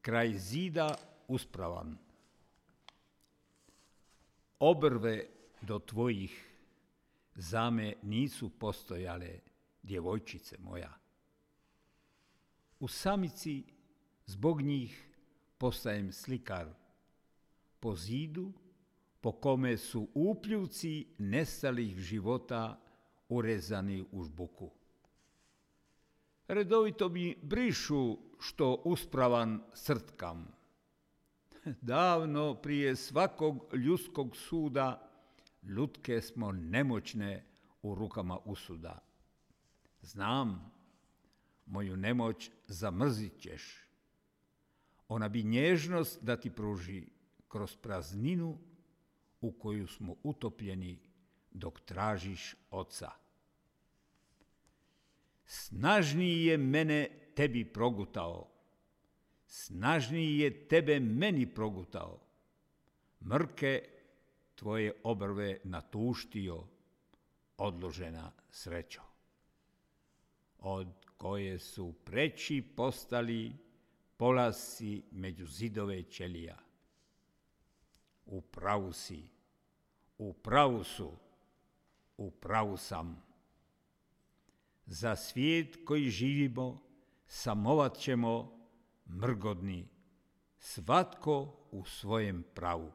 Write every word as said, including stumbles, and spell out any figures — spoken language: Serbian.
kraj zida uspravan. Obrve do tvojih zame nisu postojale, djevojčice moja. U samici zbog njih postajem slikar. Po zidu po kome su upljuvci nestalih života urezani u žbuku. Redovito mi brišu što uspravan srtkam. Davno prije svakog ljudskog suda lutke smo nemoćne u rukama usuda. Znam, moju nemoć zamrzit ćeš. Ona bi nježnost da ti pruži kroz prazninu u koju smo utopljeni dok tražiš oca. Snažniji je mene tebi progutao, snažniji je tebe meni progutao. Mrke tvoje obrve natuštio, odložena srećo, od koje su preći postali polasci među zidove ćelija. U pravu si, u pravu su, u pravu sam. Za svijet koji živimo samovat ćemo mrgodni, svatko u svojem pravu.